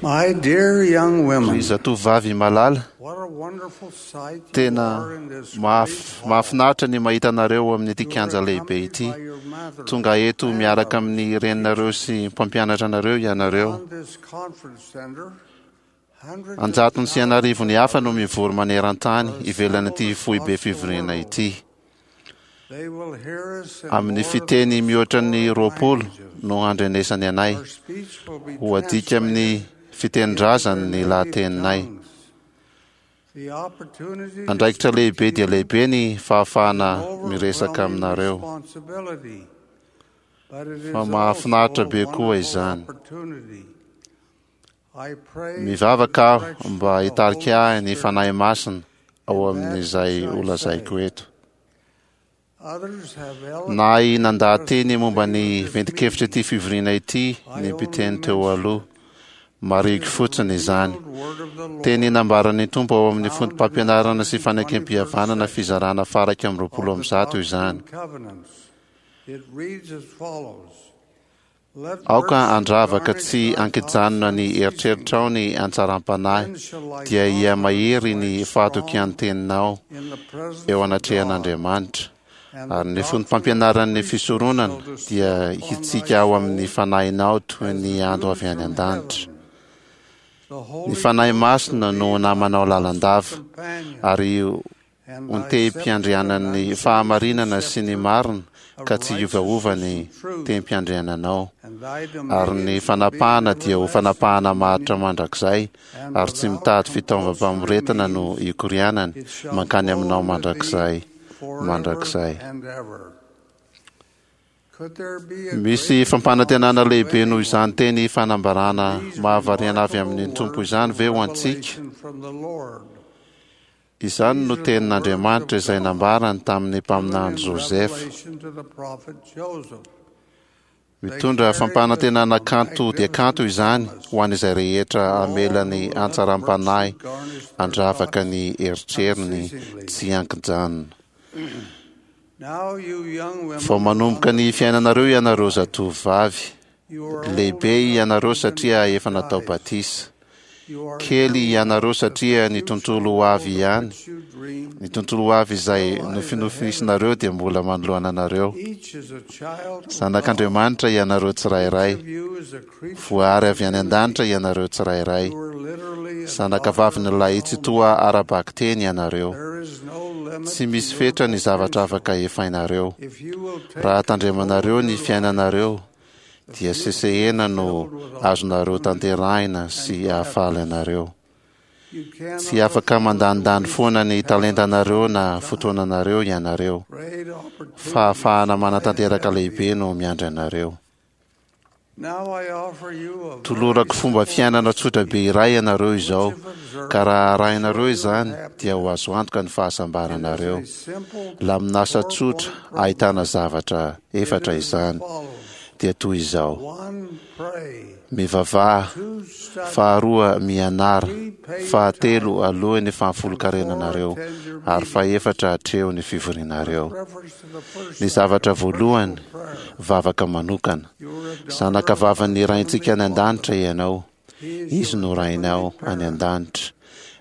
My dear young women, Ry zatovovavy malala, what a wonderful sight you tena are in this great mahaf- hall. mahafinaritra ny mahita anareo amin'ity You are kianja lehibe ity. accompanied by your mother Tonga eto and miaraka others. amin'ny reninareo sy mpampianatra anareo ianareo. On this conference center, hundreds of Anjatony sy an'arivony thousands hafa no mivory maneran-tany are ivelan'ity assembled foibe across the fivoriana world. ity. They will hear us in Amin'ny more than fiteny mihoatra ny 40 20 languages. no handrenesany anay. Our speech will be Ho adika amin'ny translated into fitenin-drazany their ny native lahateninay. tongues. The opportunity to Andraikitra speak lehibe to dia you lehibe ny is fahafahana an miresaka overwhelming aminareo. responsibility, but it Fa is mahafinaritra also a be koa wonderful izany. opportunity. I pray for the Mivavaka aho direction mba of the hitarika Holy ahy ny Spirit Fanahy Masina ao in that amin'izay which I holazaiko say. eto. Others have Nahay eloquently nandaha-teny expressed the momba theme ny of this ventin-kevitra ity meeting. fivoriana ity I ny only mpiteny teo mention aloha. it. It Marihiko is the fotsiny izany. revealed word of the Teny Lord nambaran'ny Tompo ao amin'ny found in the foto-pampianarana sy 121st fanekempihavanana section fizarana faraika amin'ny roapolo of amby the zato Doctrine izany. and Covenants. It reads as follows. Let Aoka virtue handravaka garnish tsy thy thoughts ankijanona ny unceasingly. eritreritrao ny antsaram-panahy, Then shall thy dia countenance hihamahery ny wax strong fahatokian-teninao in the presence eo of God, anatrehan'Andriamanitra. and the Ary ny doctrine of the foto-pampianaran'ny priesthood fisoronana shall descend dia upon thy hitsika ao amin'ny soul fanahinao toy as ny the ando dew avy any from an-danitra. heaven. The Ny Holy Fanahy Ghost shall Masina be no thy namanao constant lalandava, companion, ary and ho thy scepter tehim-piandrianan'ny an unchanging fahamarinana sy ny scepter marina of ka tsy hiovaova righteousness ny and truth, tehim-piandriananao. and thy Ary ny dominion shall be an fanapahana dia ho everlasting fanapahana maharitra dominion, mandrakizay, and ary tsy without mitady compulsory fitaovam-pamoretana no means ikorianany it shall mankany flow aminao unto thee mandrakizay, forever mandrakizay. and ever. Could there be a Misy greater fampanantenana promise to lehibe noho izany anyone teny fanambarana than these mahavariana avy remarkable amin'ny Tompo words izany of ve ho antsika? revelation from the Lord? Izany no These are the words of tenin'Andriamanitra izay God nambarany tamin'ny given mpaminany in Josefa. revelation to the prophet Joseph. They Mitondra carry with them fampanantenana a kanto dia kanto magnificent izany promise ho an'izay rehetra for all hamela who ny will let antsaram-panahy virtue garnish their handravaka thoughts ny eritreriny unceasingly. tsy ankijanona. Now, you young Vao women manomboka on the ny fiainanareo path of ianareo life, zatovovavy. you are old Lehibe enough to ianareo have been satria efa natao baptized. batisa. You are Kely young enough ianareo that the satria ny future tontolo ho avy world of ihany. which you dream Ny tontolo ho avy izay still lies ahead of nofinofisinareo you. dia mbola manoloana anareo. Each is a child of God. Zanak'Andriamanitra ianareo Each tsirairay. of you is a creature Voary of avy any divinity. an-danitra ianareo tsirairay. You are literally a daughter Zanakavaviny of the ilay Tsitoha Almighty. ara-bakiteny ianareo. There is no limit Tsy to misy your fetra ny zavatra potential. afaka efainareo. If you will Raha take control tandremanareo of ny your lives, fiainanareo, the dia future is sesehena no filled with azonareo opportunity tanterahina and sy hahafaly gladness. anareo. You Tsy cannot afaka afford to mandanindany waste foana the ny talents talentanareo of na God. fotoananareo ianareo. Great opportunities Fahafahana lie ahead manatanteraka of lehibe you. no miandry anareo. Now I offer you a very Tolorako fomba simple fiainana tsotra be recipe, iray ianareo which izao, if ka observed raha will arahinareo ensure your izany dia ho happiness. azo antoka ny It is fahasambaranareo. a simple Laminasa tsotra four-point ahitana program. zavatra It efatra is as izany, follows. dia toy izao: 1, pray. mivavaha, 2, study. faharoa mianara, 3, pay your fahatelo tithes. aloha ny And 4, fahafolonkarenanareo, attend your ary meetings. fahefatra atreho ny With fivorianareo. reference to the first Ny zavatra item, personal voalohany, prayer. vavaka manokana. You are a daughter of Zanakavavin'ny our Raintsika Heavenly any Father. an-danitra ianao. He is Izy your no heavenly Rainao any parent. an-danitra.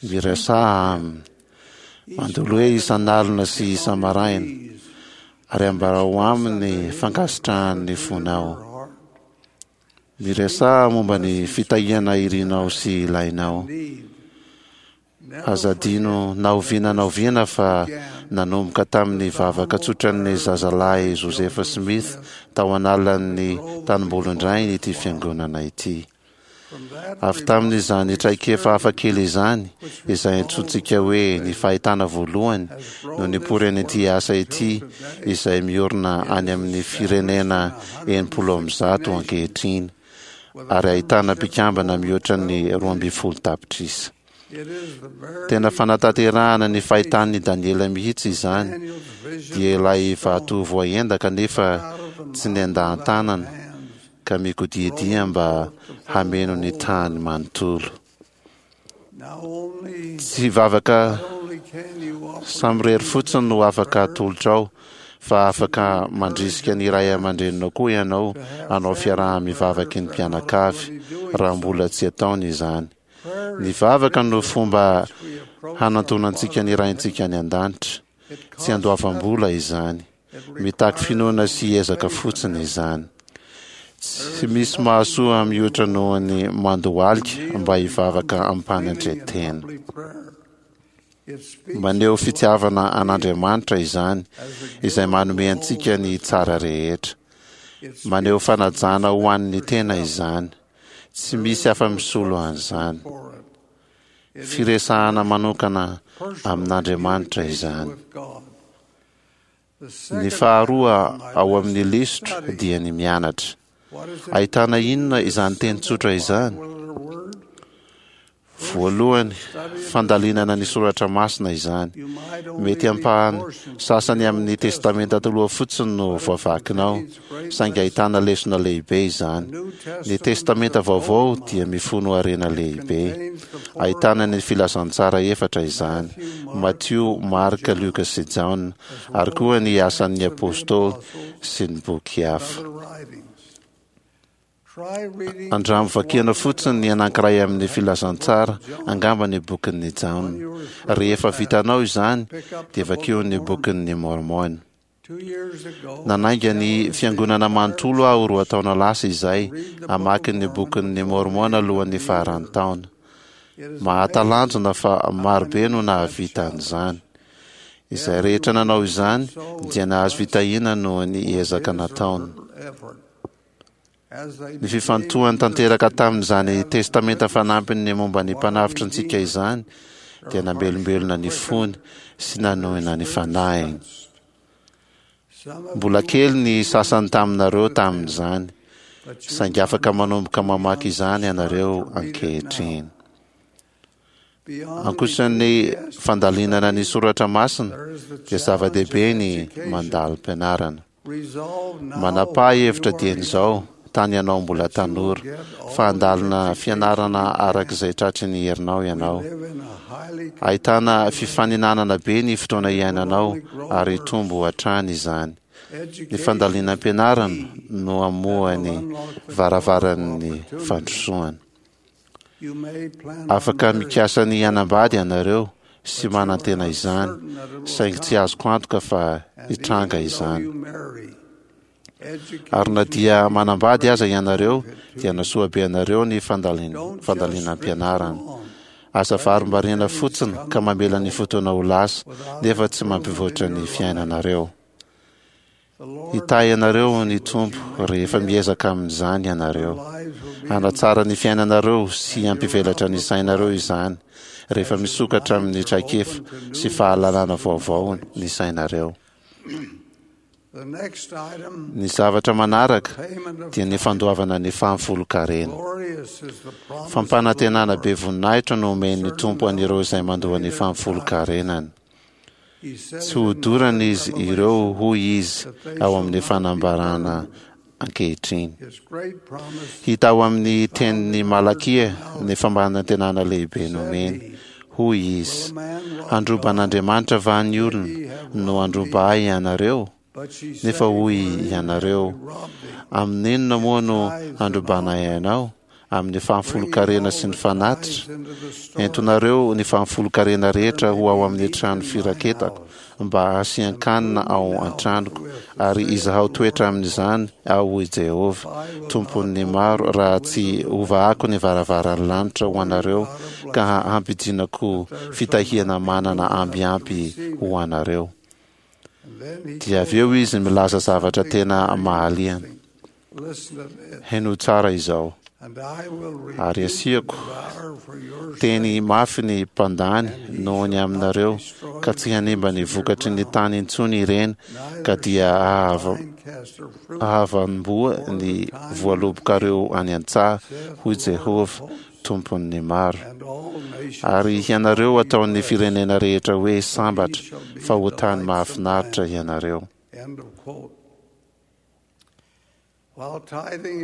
Speak to Miresaha him. aminy. Each Mandoloe night and isan'alina morning sy get on your isa-maraina, knees ary and ambarao express aminy unto ny him the fankasitrahan'ny gratitude of fonao. your heart. Speak Miresaha the momba ny blessings you fitahiana irinao desire sy ilainao. and need. Never Aza adino forget na that oviana na this oviana fa began nanomboka tamin'ny with the vavaka humble tsotran'ny prayers of zazalahy Prophet Josefa Joseph Smith Smith tao in the an'alan'ny grove of his tanimbolon-drainy father's ity flock. fiangonana ity. From that Avy tamin'izany remarkable traikefa hafakely experience, izany, which we izay call the antsointsika first hoe ny vision, fahitana voalohany has no grown this nipoiran'ity work asa until ity, today. izay miorina It any is amin'ny established in firenena 160 160 nations ankehitriny, with a ary ahitana membership of mpikambana over mihoatra ny 12 million. 12 tapitrisa. It is the Tena very fanatanterahana ny fahitan'ny interpretation Daniela mihitsy of izany, Daniel's vision dia of the ilay vato stone voaendaka nefa out of the tsy mouth without nendahan-tanana hands, ka mikodiadia rolling mba forth to fill the hameno ny whole tany earth. manontolo. Now only, Tsy vavaka not only can you offer samirery your fotsiny no individual afaka prayers, atolotrao, Fa afaka mandrisika ny ray aman-dreninao koa ianao hanao fiaraha-mivavaky ny mpianakavy, raha mbola tsy ataony izany. Ny vavaka no fomba hanantonantsika ny Raintsika any An-danitra. Tsy andoavam-bola izany. Mitaky finoana sy ezaka fotsiny izany. Tsy misy mahasoa mihoatra noho ny mandohalika mba hivavaka amim-panetren-tena. Maneho fitiavana an'Andriamanitra izany, izay manome antsika ny tsara rehetra. Maneho fanajana ho an'ny tena izany. Tsy misy afa-misolo an'izany. Firesahana manokana amin'Andriamanitra izany. Ny faharoa ao amin'ny lisitro dia ny mianatra. Ahitana inona izany teny tsotra izany? Voalohany, fandalinana ny soratra masina izany. Mety ampahany sasany amin'ny Testamenta Taloha fotsiny no voavakinao, saingy ahitana lesona lehibe izany. Ny Testamenta Vaovao dia mifono harena lehibe. Ahitana ny Filazantsara efatra izany, Matio, Marka, Lioka sy Jaona, ary koa ny Asan'ny Apostoly sy ny boky hafa. Andramo vakiana fotsiny ny anankiray amin'ny Filazantsara, angamba ny bokin'i Jaona. Rehefa vitanao izany, dia vakio ny bokin'i Môrmôna. Nanainga ny Fiangonana manontolo aho roa taona lasa izay hamaky ny Bokin'i Môrmôna alohan'ny faran'ny taona. Mahatalanjona fa maro be no nahavita an'izany. Izay rehetra nanao izany dia nahazo fitahiana noho ny ezaka nataony. Ny fifantohany tanteraka tamin'izany Testamenta Fanampiny momba ny Mpanavotra antsika izany dia namelombelona ny fony sy nanohina ny fanahiny. Mbola kely ny sasany taminareo tamin'izany, saingy afaka manomboka mamaky izany ianareo ankehitriny. Ankoatra ny fandalinana ny soratra masina dia zava-dehibe ny mandalim-pianarana. Manapaha hevitra dieny izao, tany ianao mbola tanora, fa handalina fianarana araka izay tratry ny herinao ianao. Ahitana fifaninanana be ny fotoana iainanao ary hitombo hatrany izany. Ny fandalinam-pianarana no hamoha ny varavaran'ny fandrosoana. Afaka mikasa ny hanambady ianareo sy manantena izany, saingy tsy azoko antoka fa hitranga izany. Ary na dia manambady aza ianareo, dia nasoa be anareo ny fandalinam-pianarana. Aza varimbariana fotsiny ka mamela ny fotoana ho lasa, nefa tsy mampivoatra ny fiainanareo. Hitahy anareo ny Tompo rehefa miezaka amin'izany ianareo. Hanatsara ny fiainanareo sy hampivelatra ny sainareo izany rehefa misokatra amin'ny traikefa sy fahalalana vaovao ny sainareo. Ny zavatra manaraka dia ny fandoavana ny fahafolonkarena. Fampanantenana be voninahitra no omen'ny Tompo an'ireo izay mandoa ny fahafolonkarenany. Tsy hodorana izy ireo hoy izy ao amin'ny fanambarana ankehitriny. Hita ao amin'ny tenin'i Malakia ny fampanantenana lehibe nomeny. Hoy izy, Handroba an'Andriamanitra va ny olona no handroba ahy ianareo? Nefa hoy ianareo, Amin'inona moa no handrobanay anao? Amin'ny fahafolonkarena sy ny fanatitra. Entonareo ny fahafolonkarena rehetra ho ao amin'ny trano firaketako, mba hasian-kanina ao an-tranoko, ary izahao toetra amin'izany aho, hoy Jehovah, Tompon'ny maro, raha tsy hovahako ny varavaran'ny lanitra ho anareo ka hampidinako fitahiana manana amby ampy ho anareo. Dia avy eo izy milaza zavatra tena mahaliana. Henoy tsara izao, ary asiako teny mafy ny mpandany noho ny aminareo, ka tsy hanimba ny vokatry ny tany intsony ireny, ka dia hahavanim-boa ny voalobokareo any an-tsaha, hoy Jehovah, Tompon'ny maro. Ary hianareo hataon'ny firenena rehetra hoe sambatra, fa ho tany mahafinaritra hianareo.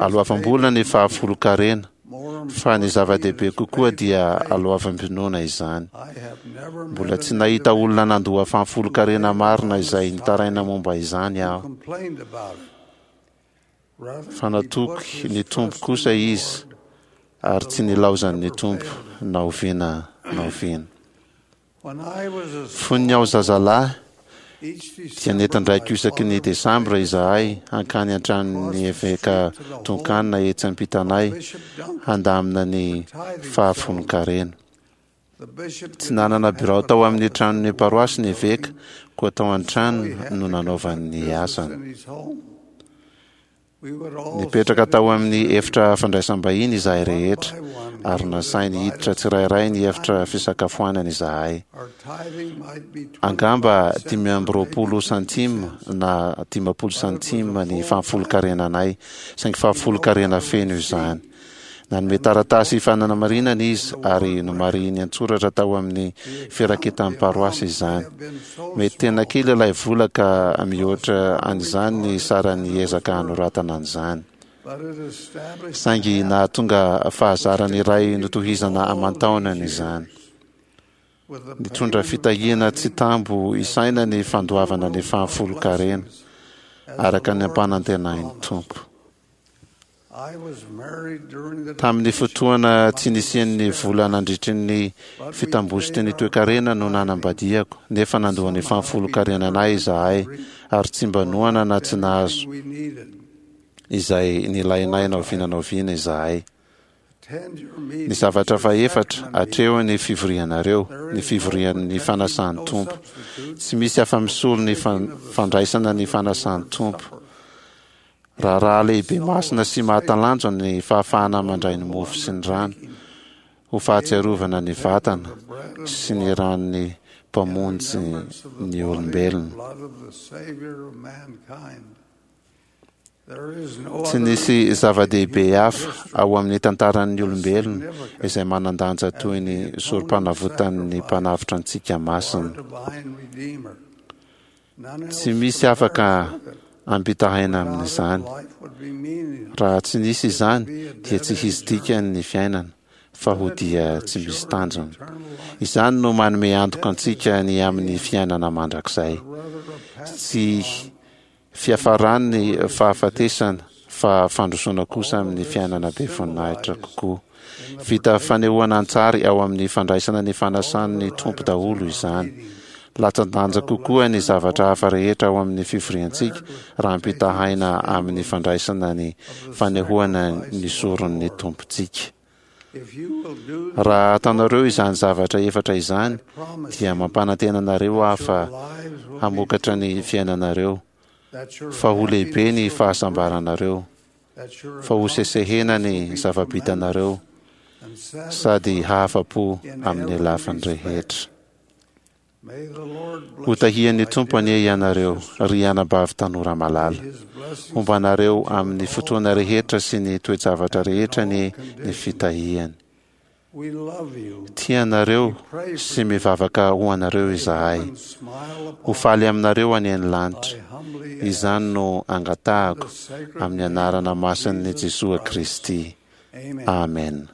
Aloavam-bola ny fahafolonkarena. Fa ny zava-dehibe kokoa dia aloavam-pinoana izany. Mbola tsy nahita olona nandoa fahafolonkarena marina izay nitaraina momba izany aho. Fa natoky ny Tompo kosa izy ary tsy nilaozan'ny Tompo na oviana na oviana. Fony aho zazalahy, dia nentin-draiko isaky ny Desambra izahay hankany an-tranon'ny Eveka Duncan etsy ampitanay handamina ny fahafolon-karena. Tsy nanana birao tao amin'ny tranon'ny paroasy ny eveka, koa tao an-tranony no nanaovany ny asany. Nipetraka tao amin'ny efitra fandraisam-bahiny izahay rehetra, ary nasainy hiditra tsirairay ny efitra fisakafoanana izahay. Angamba 25 centimes na 50 centimes ny fahafolonkarenanay, saingy fahafolonkarena feno izany. Nanome taratasy fanamarinana izy ary nomarihiny an-tsoratra tao amin'ny firaketan'ny paroasy izany. Mety tena kely ilay vola ka mihoatra an'izany ny saran'ny ezaka hanoratana an'izany. Saingy nahatonga fahazarana iray notohizana aman-taonany izany. Nitondra fitahiana tsy tambo isaina ny fandoavana ny fahafolonkarena, araka ny ampanantenain'ny Tompo. Tamin'ny fotoana tsy nisian'ny vola nandritry ny fitambositry ny toekarena no nanambadiako, nefa nandoa ny fahafolonkarenanay izahay ary tsy mba noana na tsy nahazo izay nilainay na oviana na oviana izahay. Ny zavatra fahefatra, atreho ny fivorianareo, ny fivorian'ny fanasan'ny Tompo. Tsy misy afa-misolo ny fandraisana ny fanasan'ny Tompo. Raharaha lehibe masina sy mahatalanjona ny fahafahana mandray ny mofo sy ny rano ho fahatsiarovana ny vatana sy ny ran'ny Mpamonjy ny olombelona. Tsy nisy zava-dehibe hafa ao amin'ny tantaran'ny olombelona izay manan-danja toy ny Sorompanavotan'ny Mpanavotra antsika masina. Tsy misy afaka ampitahaina amin'izany. Raha tsy nisy izany, dia tsy hisy dikany ny fiainana, fa ho dia tsy misy tanjona. Izany no manome antoka antsika ny amin'ny fiainana mandrakizay. Tsy fiafaran'ny fahafatesana, fa fandrosoana kosa amin'ny fiainana be voninahitra kokoa. Vita fanehoana an-tsary ao amin'ny fandraisana ny fanasan'ny Tompo daholo izany. Latsa-danja kokoa ny zavatra hafa rehetra ao amin'ny fivoriantsika raha ampitahaina amin'ny fandraisana ny fanehoana ny soron'ny Tompontsika. Raha ataonareo izany zavatra efatra izany, dia mampanantena anareo aho fa hamokatra ny fiainanareo, fa ho lehibe ny fahasambaranareo. fa ho sesehena ny zava-bitanareo sady hahafa-po amin'ny lafiny rehetra. Ho tahian'ny Tompo anie ianareo, ry anabavy tanora malala. Homba anareo amin'ny fotoana rehetra sy ny toe-javatra rehetra anie ny fitahiany. Tia anareo sy mivavaka ho anareo izahay. Ho faly aminareo anie ny lanitra. Izany no angatahako amin'ny anarana masin'i Jesoa Kristy. Amen.